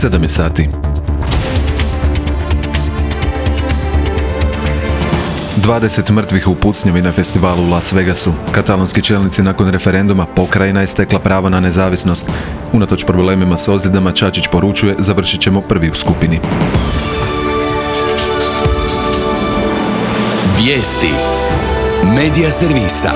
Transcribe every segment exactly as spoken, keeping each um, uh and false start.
sedam je sati. dvadeset mrtvih u pucnjavi na festivalu u Las Vegasu. Katalonski čelnici nakon referenduma pokrajina je stekla pravo na nezavisnost. Unatoč problemima s ozljedama, Čačić poručuje, završit ćemo prvi u skupini. Vijesti Medija servisa.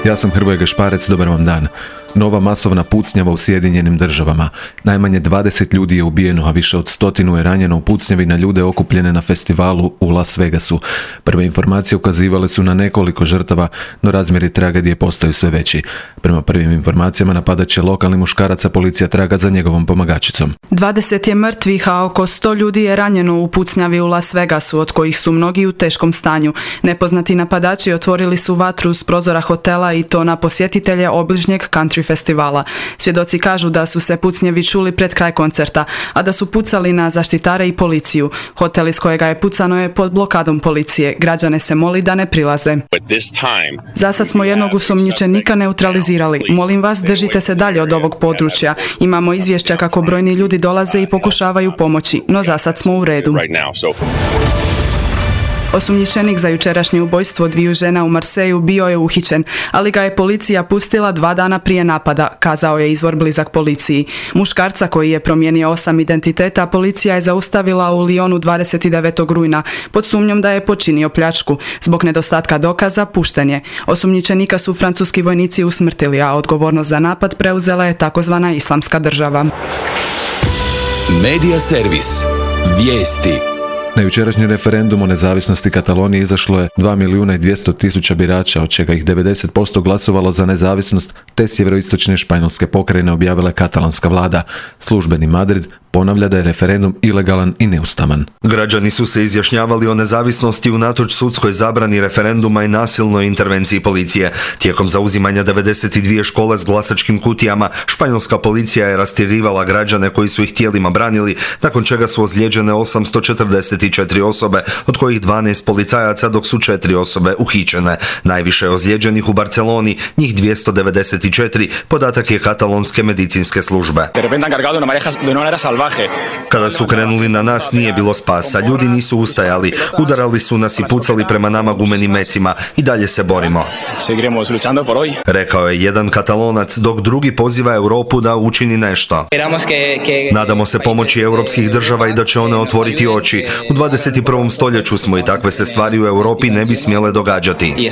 Ja sam Hrvoje Gašparec, dobar vam dan. Nova masovna pucnjava u Sjedinjenim državama. Najmanje dvadeset ljudi je ubijeno, a više od stotinu je ranjeno u pucnjavi na ljude okupljene na festivalu u Las Vegasu. Prve informacije ukazivale su na nekoliko žrtava, no razmjeri tragedije postaju sve veći. Prema prvim informacijama napadat će lokalni muškarac, a policija traga za njegovom pomagačicom. dvadeset je mrtvih, a oko sto ljudi je ranjeno u pucnjavi u Las Vegasu, od kojih su mnogi u teškom stanju. Nepoznati napadači otvorili su vatru s prozora hotela i to na posjetitelje obližnjeg country festivala. Svjedoci kažu da su se pucnjevi čuli pred kraj koncerta, a da su pucali na zaštitare i policiju. Hotel iz kojega je pucano je pod blokadom policije. Građane se moli da ne prilaze. Za sad smo jednog osumnjičenika neutralizirali. Molim vas, držite se dalje od ovog područja. Imamo izvješća kako brojni ljudi dolaze i pokušavaju pomoći, no za sad smo u redu. Osumnjičenik za jučerašnje ubojstvo dviju žena u Marseju bio je uhićen, ali ga je policija pustila dva dana prije napada, kazao je izvor blizak policiji. Muškarca koji je promijenio osam identiteta, policija je zaustavila u Lyonu dvadeset devetog rujna pod sumnjom da je počinio pljačku. Zbog nedostatka dokaza pušten je. Osumnjičenika su francuski vojnici usmrtili, a odgovornost za napad preuzela je takozvana Islamska država. Medija servis. Vijesti. Na jučerašnji referendum o nezavisnosti Katalonije izašlo je dva milijuna i dvjesto tisuća birača, od čega ih devedeset posto glasovalo za nezavisnost, te sjeveroistočne Španjolske pokrajine objavila katalanska vlada. Službeni Madrid ponavlja da je referendum ilegalan i neustavan. Građani su se izjašnjavali o nezavisnosti unatoč sudskoj zabrani referenduma i nasilnoj intervenciji policije. Tijekom zauzimanja devedeset dvije škole s glasačkim kutijama, španjolska policija je rastjerivala građane koji su ih tijelima branili, nakon čega su ozlijeđene osamsto četrdeset četiri osobe, od kojih dvanaest policajaca, dok su četiri osobe uhićene. Najviše je ozlijeđenih u Barceloni, njih dvjesto devedeset četiri, podatak je katalonske medicinske službe. Kada su krenuli na nas, nije bilo spasa, ljudi nisu ustajali, udarali su nas i pucali prema nama gumenim mecima, i dalje se borimo, rekao je jedan Katalonac, dok drugi poziva Europu da učini nešto. Nadamo se pomoći europskih država i da će one otvoriti oči. U dvadeset prvom stoljeću smo i takve se stvari u Europi ne bi smjele događati.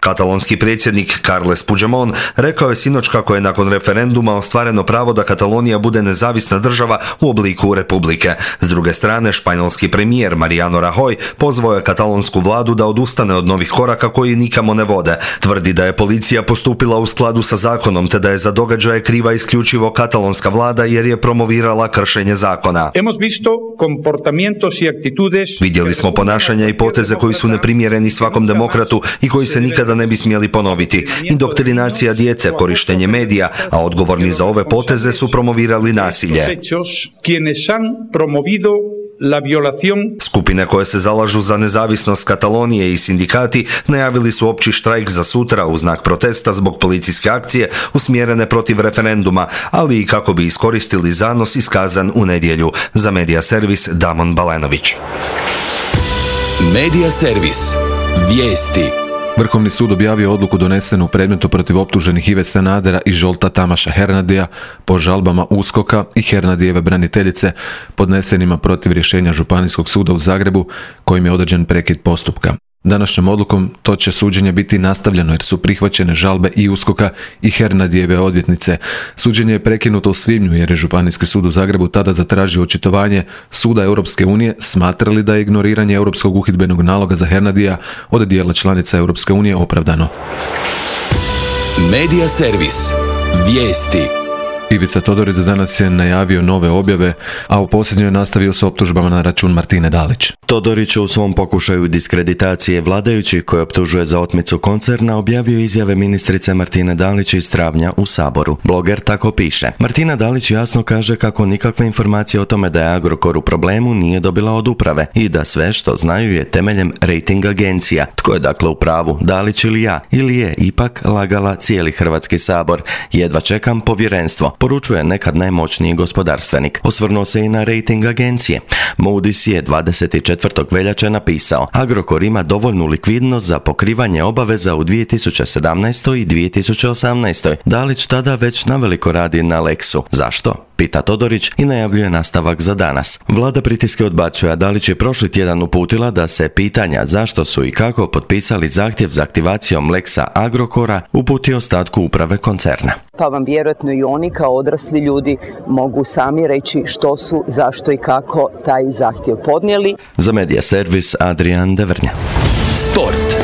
Katalonski predsjednik Carles Puigdemont rekao je sinoć kako je nakon referenduma ostvareno pravo da Katalonija bude nezavisna država u obliku republike. S druge strane, španjolski premijer Mariano Rajoy pozvao je katalonsku vladu da odustane od novih koraka koji nikamo ne vode. Tvrdi da je policija postupila u skladu sa zakonom, te da je za događaje kriva isključivo katalonska vlada jer je promovirala kršenje zakona. Vidjeli smo ponašanja i poteze koji su neprimjereni svakom demokratu i koji se nikada ne bi smjeli ponoviti. Indoktrinacija djece, korištenje medija, a odgovorni za ove poteze su promovirali nasilje. Skupine koje se zalažu za nezavisnost Katalonije i sindikati najavili su opći štrajk za sutra u znak protesta zbog policijske akcije usmjerene protiv referenduma, ali i kako bi iskoristili zanos iskazan u nedjelju. Za Medija servis Damon Balenović. Medija servis. Vijesti. Vrhovni sud objavio odluku donesenu u predmetu protiv optuženih Ive Sanadera i Zsolta Tamaša Hernadija po žalbama USKOK-a i Hernadijeve braniteljice podnesenima protiv rješenja Županijskog suda u Zagrebu, kojim je određen prekid postupka. Današnjom odlukom to će suđenje biti nastavljeno jer su prihvaćene žalbe i USKOK-a i Hernadijeve odvjetnice. Suđenje je prekinuto u svibnju jer je Županijski sud u Zagrebu tada zatražio očitovanje Suda Europske unije, smatrali da je ignoriranje Europskog uhidbenog naloga za Hernadija od dijela članica Europske unije opravdano. Medija servis. Vijesti. Ivica Todorić za danas je najavio nove objave, a u posljednjoj je nastavio s optužbama na račun Martine Dalić. Todorić u svom pokušaju diskreditacije vladajućih koje optužuje za otmicu koncerna objavio izjave ministrice Martine Dalić iz travnja u Saboru. Bloger tako piše. Martina Dalić jasno kaže kako nikakve informacije o tome da je Agrokor u problemu nije dobila od uprave i da sve što znaju je temeljem rating agencija. Tko je dakle u pravu, Dalić ili ja? Ili je ipak lagala cijeli Hrvatski sabor? Jedva čekam povjerenstvo. poručuje nekad najmoćniji gospodarstvenik. Osvrnuo se i na rejting agencije. Moody's je dvadeset četvrtog veljače napisao: Agrokor ima dovoljnu likvidnost za pokrivanje obaveza u dvije tisuće sedamnaestoj i dvije tisuće osamnaestoj. Dalić tada već naveliko radi na Lexu. Zašto? Pita Todorić i najavljuje nastavak za danas. Vlada pritiske odbacuje, a Dalić je prošli tjedan uputila da se pitanja zašto su i kako potpisali zahtjev za aktivacijom Lexa Agrokora uputi ostatku uprave koncerna. Pa vam vjerojatno i oni kao odrasli ljudi mogu sami reći što su, zašto i kako taj zahtjev podnijeli. Za Medija servis Adrian Devrnja. Sport.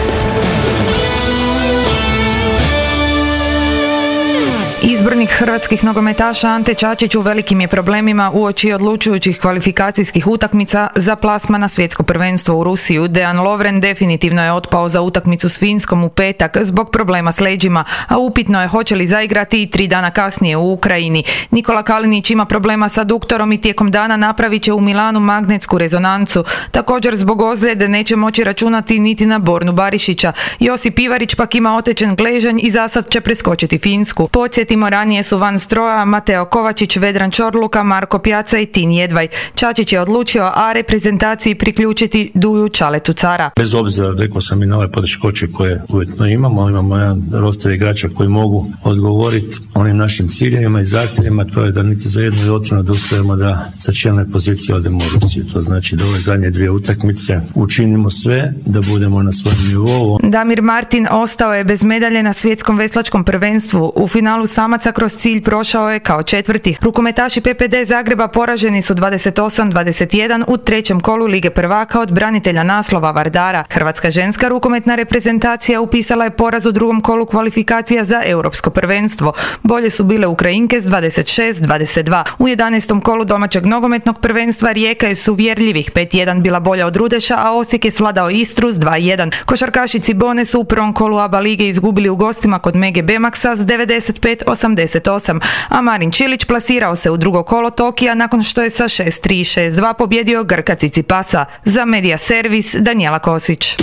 Izbornik hrvatskih nogometaša Ante Čačić u velikim je problemima uoči odlučujućih kvalifikacijskih utakmica za plasman na svjetsko prvenstvo u Rusiju. Dejan Lovren definitivno je otpao za utakmicu s Finskom u petak zbog problema s leđima, a upitno je hoće li zaigrati i tri dana kasnije u Ukrajini. Nikola Kalinić ima problema sa duktorom i tijekom dana napravit će u Milanu magnetsku rezonancu. Također zbog ozljede neće moći računati niti na Bornu Barišića. Josip Ivarić pak ima otečen gležanj i zasad će preskočiti Finsku. Podsjetimo, ranije su van stroja Mateo Kovačić, Vedran Čorluka, Marko Pjaca i Tin Jedvaj. Čačić je odlučio A reprezentaciji priključiti Duju Čaletu Cara. Bez obzira, rekao sam i na ove poteškoće koje uvjetno imamo, imamo jedan roster igrača koji mogu odgovoriti onim našim ciljevima i zahtjevima, to je da niti za jednu otvorno da uspijemo da sa čelne pozicije odemo u Rusiju. To znači da ove zadnje dvije utakmice učinimo sve da budemo na svojem nivou. Damir Martin ostao je bez medalje na svjetskom veslačkom prvenstvu. U finalu samaca kroz cilj prošao je kao četvrti. Rukometaši P P D Zagreba poraženi su dvadeset osam dvadeset jedan u trećem kolu Lige prvaka od branitelja naslova Vardara. Hrvatska ženska rukometna reprezentacija upisala je poraz u drugom kolu kvalifikacija za europsko prvenstvo. Bolje su bile Ukrajinke s dvadeset šest dvadeset dva. U jedanaestom kolu domaćeg nogometnog prvenstva Rijeka je s uvjerljivih pet jedan bila bolja od Rudeša, a Osijek je svladao Istru s dva jedan. Košarkaši Cibone su u prvom kolu A B A lige izgubili u gostima kod Mege Bemaxa s devedeset pet osamdeset osam, a Marin Čilić plasirao se u drugo kolo Tokija nakon što je sa šest tri šest dva pobjedio Grka Cicipasa. Za Medija servis Danijela Kosić.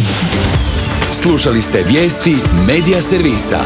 Slušali ste vijesti Medija servisa.